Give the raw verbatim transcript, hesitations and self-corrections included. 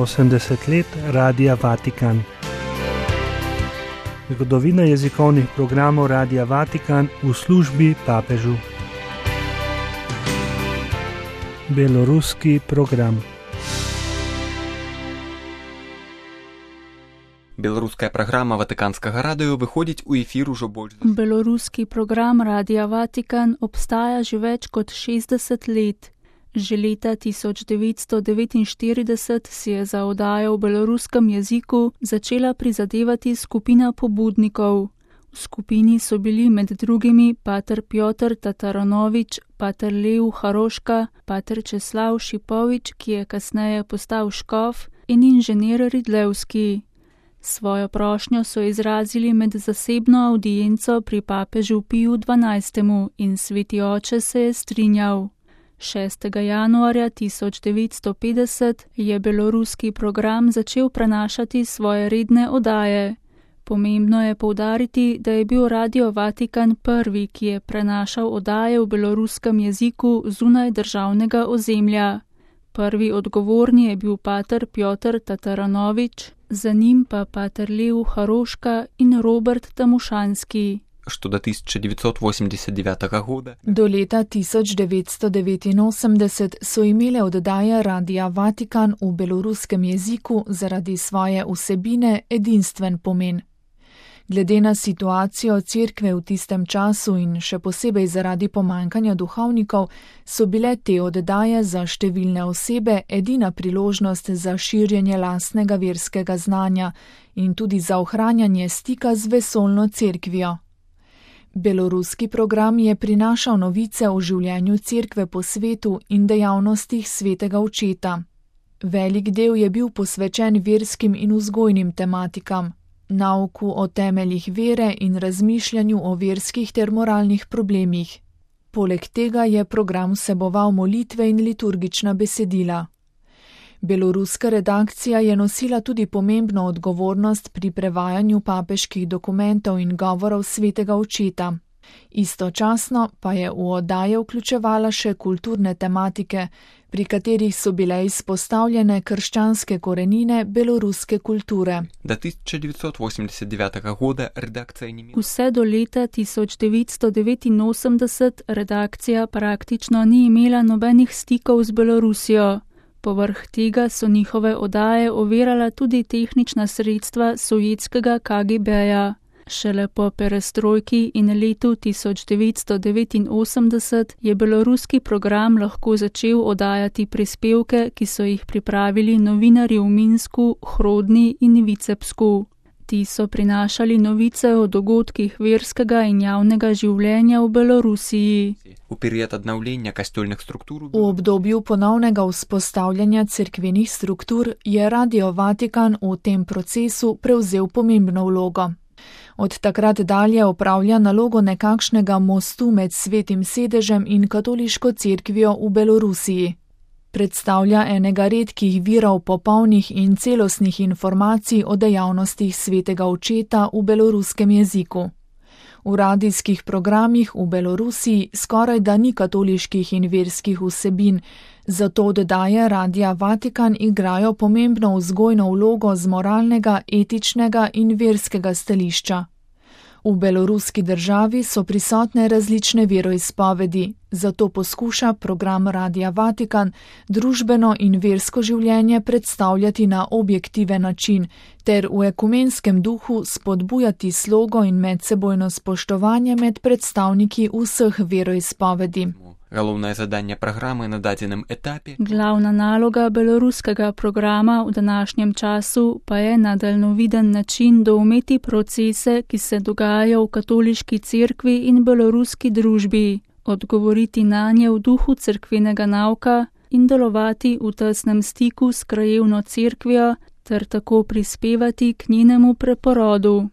osemdeset let Radia Vatikan. Zgodovina jezikovnih programov Radia Vatikan v službi papežu. Beloruski program. Беларуская праграма Ватыканскага радыё выходзіць у эфір ужо больш. Beloruski program Radia Vatikan obstaja že več kot šestdeset let. Že leta tisoč devetsto devetinštirideset si je za oddajo v beloruskem jeziku začela prizadevati skupina pobudnikov. V skupini so bili med drugimi pater Pjotr Tataranovič, pater Lev Haroška, pater Česlav Šipovič, ki je kasneje postal škof, in inženir Ridlevski. Svojo prošnjo so izrazili med zasebno avdienco pri papežu Piju dvanajstemu in sveti oče se je strinjal. šestega januarja tisoč devetsto petdeset je beloruski program začel prenašati svoje redne oddaje. Pomembno je poudariti, da je bil Radio Vatikan prvi, ki je prenašal oddaje v beloruskem jeziku zunaj državnega ozemlja. Prvi odgovorni je bil pater Pjotr Tataranovič, za njim pa pater Lev Haroška in Robert Tamušanski. Što do tisoč devetsto osemdeset devetega года. Do leta tisoč devetsto devetinosemdeset so imele oddaje Radia Vatikan v beloruskem jeziku zaradi svoje vsebine edinstven pomen. Glede na situacijo cerkve v tistem času in še posebej zaradi pomankanja duhovnikov, so bile te oddaje za številne osebe edina priložnost za širjenje lastnega verskega znanja in tudi za ohranjanje stika z vesoljno cerkvijo. Beloruski program je prinašal novice o življenju cerkve po svetu in dejavnostih svetega očeta. Velik del je bil posvečen verskim in vzgojnim tematikam, nauku o temeljih vere in razmišljanju o verskih ter moralnih problemih. Poleg tega je program vseboval molitve in liturgična besedila. Beloruska redakcija je nosila tudi pomembno odgovornost pri prevajanju papeških dokumentov in govorov svetega očeta. Istočasno pa je v oddaje vključevala še kulturne tematike, pri katerih so bile izpostavljene krščanske korenine beloruske kulture. Do tisoč devetsto osemdeset devetega года redakcija ni imela. Vse do leta tisoč devetsto devetinosemdeset redakcija praktično ni imela nobenih stikov z Belorusijo. Povrh tega so njihove oddaje ovirala tudi tehnična sredstva sovjetskega K G B-ja. Šele po perestrojki in letu tisoč devetsto devetinosemdeset je beloruski program lahko začel oddajati prispevke, ki so jih pripravili novinarji v Minsku, Hrodni in Vicepsku. Ti so prinašali novice o dogodkih verskega in javnega življenja v Belorusiji. V period obnovljenja kostolnih struktur. V obdobju ponovnega vzpostavljanja cerkvenih struktur je Radio Vatikan v tem procesu prevzel pomembno vlogo. Od takrat dalje opravlja nalogo nekakšnega mostu med svetim sedežem in katoliško cerkvijo v Belorusiji. Predstavlja enega redkih virov popolnih in celostnih informacij o dejavnostih svetega očeta v beloruskem jeziku. V radijskih programih v Belorusiji skoraj da ni katoliških in verskih vsebin, zato oddaje Radia Vatikan igrajo pomembno vzgojno vlogo z moralnega, etičnega in verskega stališča. V beloruski državi so prisotne različne veroizpovedi, zato poskuša program Radia Vatikan družbeno in versko življenje predstavljati na objektiven način ter v ekumenskem duhu spodbujati slogo in medsebojno spoštovanje med predstavniki vseh veroizpovedi. Головне завдання програми на даденому етапі. Glavna naloga beloruskega programa v današnjem času pa je na daljnoviden način doumeti procese, ki se dogajajo v katoliški cerkvi in beloruski družbi, odgovoriti nanje v duhu cerkvenega nauka in delovati v tesnem stiku s krajevno cerkvijo ter tako prispevati k njenemu preporodu.